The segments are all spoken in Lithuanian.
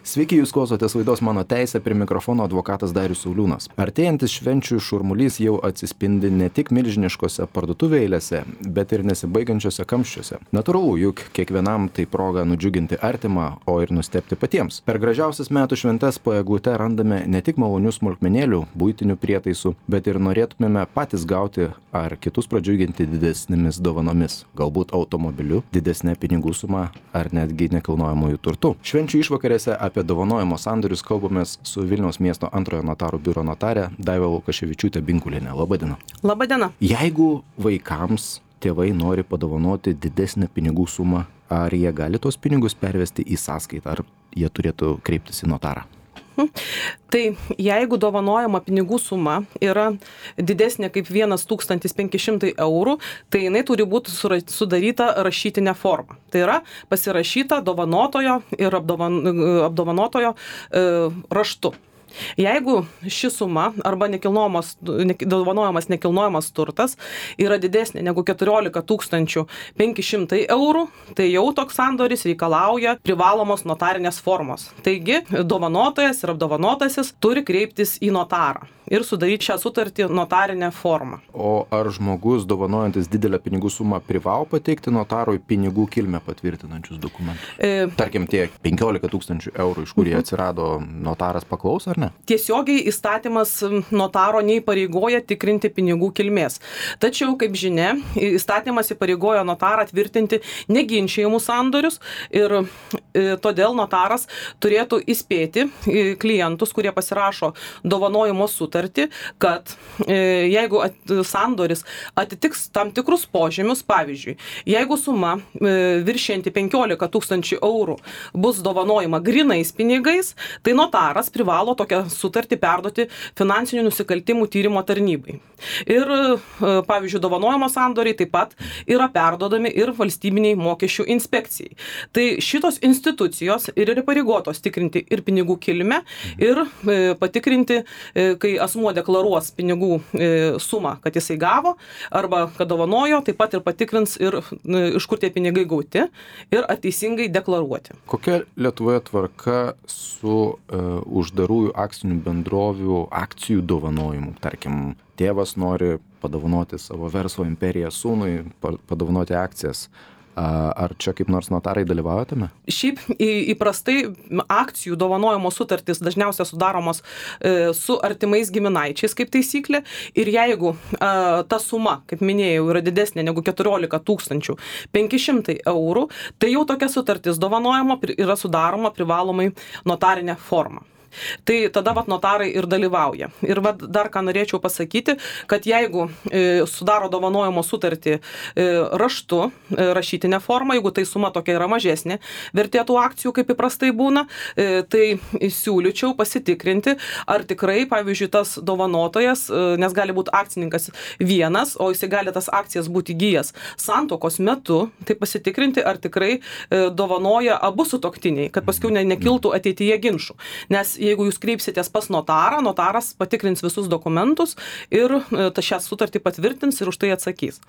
Sveiki, jūs klausotės laidos Mano teisė, prie mikrofono advokatas Darius Sauliūnas. Artėjantis švenčių šurmulys jau atsispindi ne tik milžiniškose parduotuvų eilėse, bet ir nesibaigiančiose kamščiuose. Natūralu, juk kiekvienam tai proga nudžiuginti artimą, o ir nustebti patiems. Per gražiausias metų šventes po eglute randame ne tik malonių smulkmenėlių, buitinių prietaisų, bet ir norėtumėme patys gauti ar kitus pradžiuginti didesnėmis dovanomis, galbūt automobiliu, didesnė pinigų suma ar netgi nekilnojamųjų turtų. Švenčių išvakarėse apie dovanojimo sandorius kalbamės su Vilniaus miesto antrojo notarų biuro notarė Daiva Lukaševičiūtė Binkulienė. Labadiena. Labadiena. Jeigu vaikams tėvai nori padovanoti didesnę pinigų sumą, ar jie gali tos pinigus pervesti į sąskaitą, ar jie turėtų kreiptis į notarą? Tai jeigu dovanojama pinigų suma yra didesnė kaip 1500 eurų, tai jinai turi būti sudaryta rašytinė forma. Tai yra pasirašyta dovanotojo ir apdovanotojo raštu. Jeigu ši suma arba dovanojamas nekilnojamas turtas yra didesnė negu 14 500 eurų, tai jau toks sandoris reikalauja privalomos notarinės formos. Taigi, dovanotojas ir apdovanotasis turi kreiptis į notarą ir sudaryti šią sutartį notarinę formą. O ar žmogus dovanojantis didelę pinigų sumą privalo pateikti notarui pinigų kilmę patvirtinančius dokumentus? Tarkim, tie 15 000 eurų, iš kur jie atsirado, notaras paklaus ar ne? Tiesiogiai įstatymas notaro neįpareigoja tikrinti pinigų kilmės. Tačiau, kaip žinia, įstatymas įpareigoja notarą tvirtinti neginčijamus sandorius ir todėl notaras turėtų įspėti klientus, kurie pasirašo dovanojimo sutartį, kad jeigu sandoris atitiks tam tikrus požymius, pavyzdžiui, jeigu suma viršianti 15 000 eurų bus dovanojama grynais pinigais, tai notaras privalo tokią sutartį perduoti finansinių nusikaltimų tyrimo tarnybai. Ir, pavyzdžiui, dovanojimo sandoriai taip pat yra perduodami ir valstybiniai mokesčių inspekcijai. Tai šitos institucijos ir įpareigotos tikrinti ir pinigų kilmę, ir patikrinti, kai asmuo deklaruos pinigų sumą, kad jisai gavo, arba kad dovanojo, taip pat ir patikrins, ir iš kur tie pinigai gauti, ir teisingai deklaruoti. Kokia Lietuvoje tvarka su uždarųjų akcinių bendrovių akcijų dovanojimu? Tarkim, tėvas nori padovanoti savo verslo imperiją sūnui, padovanoti akcijas. Ar čia kaip nors notarai dalyvauja tame? Šiaip įprastai akcijų dovanojimo sutartys dažniausiai sudaromos su artimais giminaičiais kaip taisyklė, ir jeigu ta suma, kaip minėjau, yra didesnė negu 14 500 eurų, tai jau tokia sutartis dovanojimo yra sudaroma privalomai notarinė forma. Tai tada notarai ir dalyvauja. Ir dar ką norėčiau pasakyti, kad jeigu sudaro dovanojimo sutartį raštu, rašytinę formą, jeigu tai suma tokia yra mažesnė vertė tų akcijų, kaip įprastai būna, tai siūlyčiau pasitikrinti, ar tikrai, pavyzdžiui, tas dovanotojas, nes gali būti akcininkas vienas, o jisai gali tas akcijas būti įgijęs santuokos metu, tai pasitikrinti, ar tikrai dovanoja abu sutuoktiniai, kad paskui nekiltų ateityje ginčų. Nes jeigu jūs kreipsitės pas notarą, notaras patikrins visus dokumentus ir šią sutartį patvirtins ir už tai atsakys.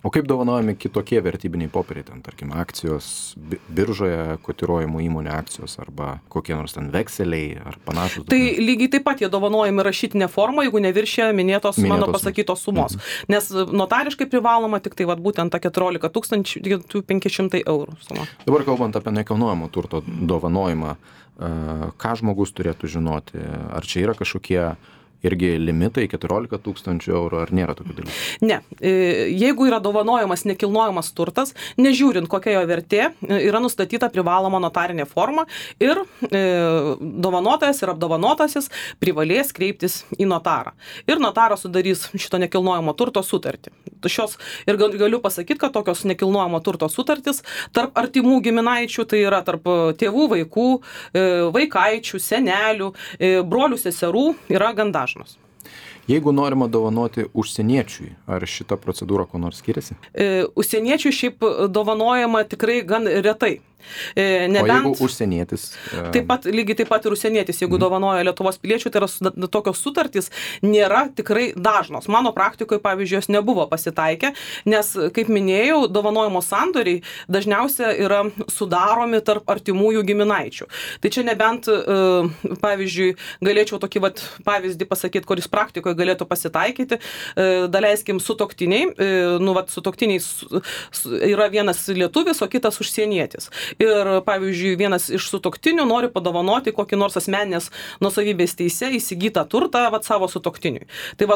O kaip dovanojami kitokie vertybiniai popieriai, ten, tarkim, akcijos biržoje kotiruojamų įmonių akcijos arba kokie nors ten vekseliai ar panašus? Tai lygiai taip pat jie dovanojami rašytinė forma, jeigu neviršė minėtos mano pasakytos sumos. Nes notariškai privaloma tik tai būtent ta 14 500 eurų suma. Dabar kalbant apie nekilnojamo turto dovanojimą, ką žmogus turėtų žinoti? Ar čia yra kažkokie irgi limitai 14 000 eurų, ar nėra tokių dalykų? Ne. Jeigu yra dovanojamas nekilnojamas turtas, nežiūrint kokia jo vertė, yra nustatyta privaloma notarinė forma ir dovanotojas ir apdovanotasis privalės kreiptis į notarą. Ir notaras sudarys šito nekilnojamo turto sutartį. Ir galiu pasakyti, kad tokios nekilnojamo turto sutartys tarp artimų giminaičių, tai yra tarp tėvų, vaikų, vaikaičių, senelių, brolių, seserų, yra gan dažnos. Jeigu norima dovanoti užsieniečiui, ar šita procedūra ko nors skiriasi? Užsieniečiui šiaip dovanojama tikrai gan retai. O jeigu užsienietis? Lygiai taip pat ir užsienietis, jeigu dovanoja Lietuvos piliečių, tai yra tokios sutartys nėra tikrai dažnos. Mano praktikoje, pavyzdžiui, jos nebuvo pasitaikę, nes, kaip minėjau, dovanojimo sandoriai dažniausiai yra sudaromi tarp artimųjų giminaičių. Tai čia nebent, pavyzdžiui, galėčiau tokį pavyzdį pasakyti, kuris praktikoje galėtų pasitaikyti, daleiskim sutuoktiniai, sutuoktiniai yra vienas lietuvis, o kitas užsienietis. Ir, pavyzdžiui, vienas iš sutuoktinių nori padovanoti kokį nors asmeninės nuosavybės teise įsigytą turtą savo sutuoktiniui. Tai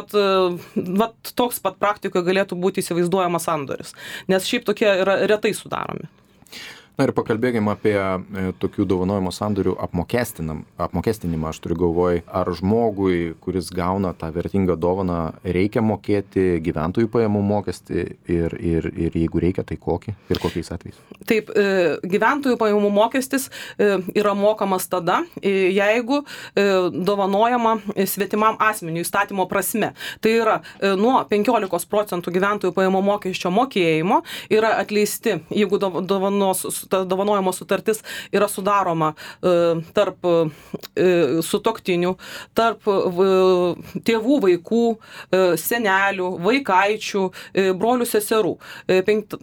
toks pat praktikoje galėtų būti įsivaizduojamas sandoris, nes šiaip tokie yra retai sudaromi. Na ir pakalbėkime apie tokių dovanojimo sandorių apmokestinimą. Aš turiu galvoj, ar žmogui, kuris gauna tą vertingą dovaną, reikia mokėti gyventojų pajamų mokestį ir jeigu reikia, tai kokį ir kokiais atvejais? Taip, gyventojų pajamų mokestis yra mokamas tada, jeigu dovanojama svetimam asmeniui įstatymo prasme. Tai yra nuo 15% gyventojų pajamų mokesčio mokėjimo yra atleisti, jeigu dovanojimo sutartis yra sudaroma tarp sutuoktinių, tarp tėvų, vaikų, senelių, vaikaičių, brolių, seserų.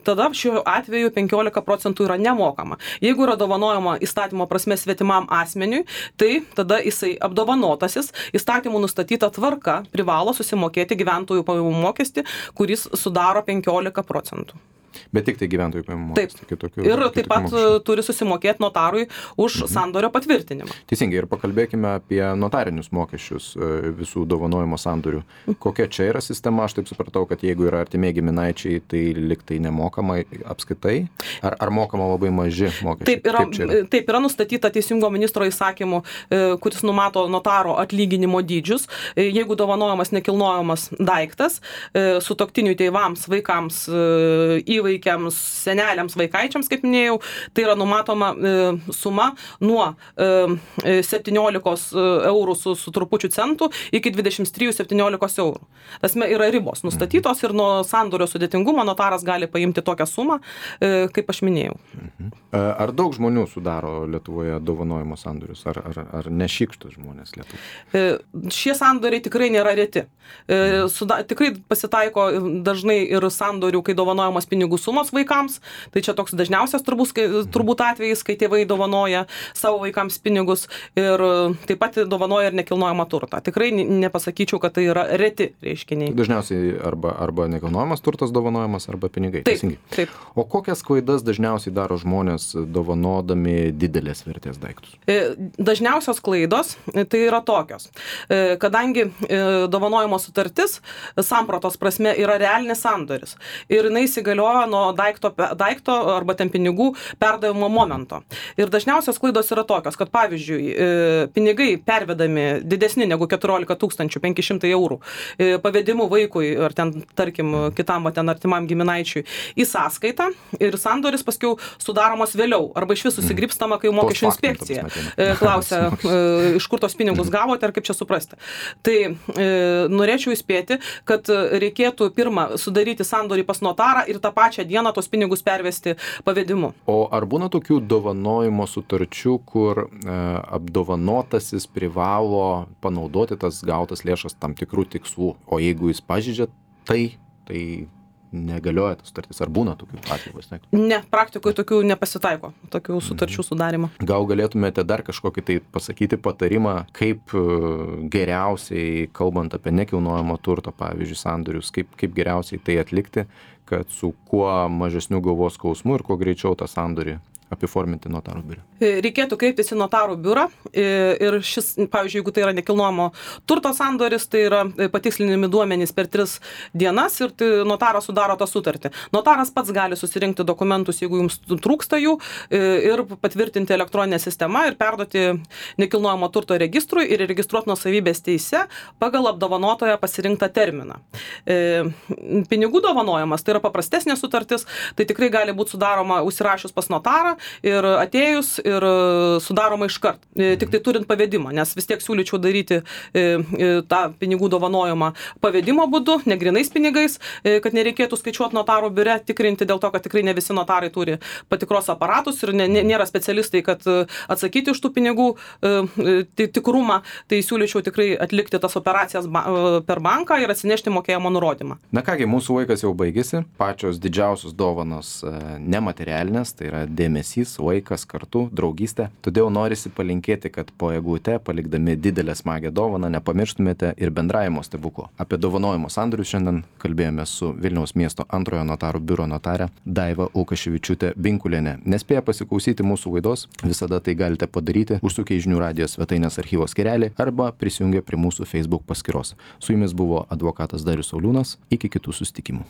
Tada šiuo atveju 15% yra nemokama. Jeigu yra dovanojama įstatymo prasme svetimam asmeniui, tai tada jisai apdovanotasis įstatymų nustatyta tvarka privalo susimokėti gyventojų pajamų mokestį, kuris sudaro 15%. Bet tik tai gyventojų pajamų mokestį. Taip. Ir taip pat turi susimokėti notarui už sandorio patvirtinimą. Teisingai, ir pakalbėkime apie notarinius mokesčius visų dovanojimo sandorių. Kokia čia yra sistema? Aš taip supratau, kad jeigu yra artimiai giminaičiai, tai liktai nemokama apskaitai? Ar mokama labai maži mokesčiai? Taip, yra nustatyta Teisingumo ministro įsakymu, kuris numato notaro atlyginimo dydžius. Jeigu dovanojamas nekilnojamas daiktas, sutuoktinių tėvams, vaikams, įvaikiams, seneliams, vaikaičiams, kaip minėjau, tai yra numatoma suma nuo 17 eurų su trupučiu centų iki 23,17 eurų. Tasme yra ribos nustatytos ir nuo sandorio sudėtingumo notaras gali paimti tokią sumą, kaip aš minėjau. Ar daug žmonių sudaro Lietuvoje dovanojimo sandorius? Ar nešykštus žmonės Lietuvoje? Šie sandoriai tikrai nėra reti. Tikrai pasitaiko dažnai ir sandorių, kai dovanojamas pinigų sumos vaikams. Tai čia toks dažniausias turbūt atvejis, kai tėvai dovanoja savo vaikams pinigus ir taip pat dovanoja ir nekilnojamą turtą. Tikrai nepasakyčiau, kad tai yra reti reiškiniai. Dažniausiai arba nekilnojamas turtas dovanojamas, arba pinigai. Taip. O kokias klaidas dažniausiai daro žmonės dovanodami didelės vertės daiktus? Dažniausios klaidos tai yra tokios. Kadangi dovanojimo sutartis sampratos prasme yra realinis sandoris ir jinai įsigalioja nuo daikto arba ten pinigų perdavimo momento. Ir dažniausios klaidos yra tokios, kad pavyzdžiui, pinigai pervedami didesni negu 14 500 eurų pavedimu vaikui ar ten, tarkim, kitam artimam giminaičiui į sąskaitą ir sandoris paskiau sudaromas vėliau arba iš vis susigripstama, kai mokesčių inspekcija klausia, iš kur tos pinigus gavote ar kaip čia suprasti. Tai norėčiau įspėti, kad reikėtų pirmą sudaryti sandorį pas notarą ir tą pačią dieną tos pinigus pervesti pavedimu. O ar būna tokių dovanojimo sutarčių, kur apdovanotasis privalo panaudoti tas gautas lėšas tam tikrų tikslų, o jeigu jis pažeidžia tai negalioja tas sutartis? Ar būna tokių atvejų? Ne, praktikoje tokių nepasitaiko, tokių sutarčių sudarimo. Gal galėtumėte dar kažkokį tai pasakyti patarimą, kaip geriausiai, kalbant apie nekilnojamo turto, pavyzdžiui, sandorius, kaip geriausiai tai atlikti, kad su kuo mažesniu galvos skausmu ir kuo greičiau tą sandorį apiforminti notarų biure? Reikėtų kreiptis į notarų biurą ir šis, pavyzdžiui, jeigu tai yra nekilnojamo turto sandoris, tai yra patikslinami duomenys per 3 dienas ir notaras sudaro tą sutartį. Notaras pats gali susirinkti dokumentus, jeigu jums trūksta jų, ir patvirtinti elektroninę sistemą ir perduoti nekilnojamo turto registrui ir registruoti nuosavybės teise pagal apdovanotoją pasirinktą terminą. Pinigų dovanojimas, tai yra paprastesnė sutartis, tai tikrai gali būti sudaroma užsirašius pas notarą ir atėjus ir sudaroma iškart, tik tai turint pavedimą, nes vis tiek siūlyčiau daryti tą pinigų dovanojimą pavedimo būdu, ne grynais pinigais, kad nereikėtų skaičiuoti notarų biure, tikrinti dėl to, kad tikrai ne visi notarai turi patikros aparatus ir nėra specialistai, kad atsakyti už tų pinigų tikrumą, tai siūlyčiau tikrai atlikti tas operacijas per banką ir atsinešti mokėjimo nurodymą. Na kągi, mūsų laikas jau baigėsi. Pačios didžiausios dovanos nematerialinės, tai yra dėmesys, laikas kartu, draugystė. Todėl norisi palinkėti, kad po eglute, palikdami didelę smagią dovaną, nepamirštumėte ir bendravimo stebuklo. Apie dovanojimo sandorius šiandien kalbėjome su Vilniaus miesto antrojo notarų biuro notarė Daiva Lukaševičiūtė Binkulienė. Nespėję pasiklausyti mūsų laidos, visada tai galite padaryti, užsukę į Žinių radijo svetainės archyvo skyrelį arba prisijungę prie mūsų Facebook paskyros. Su jumis buvo advokatas Darius Sauliūnas. Iki kitų susitikimų.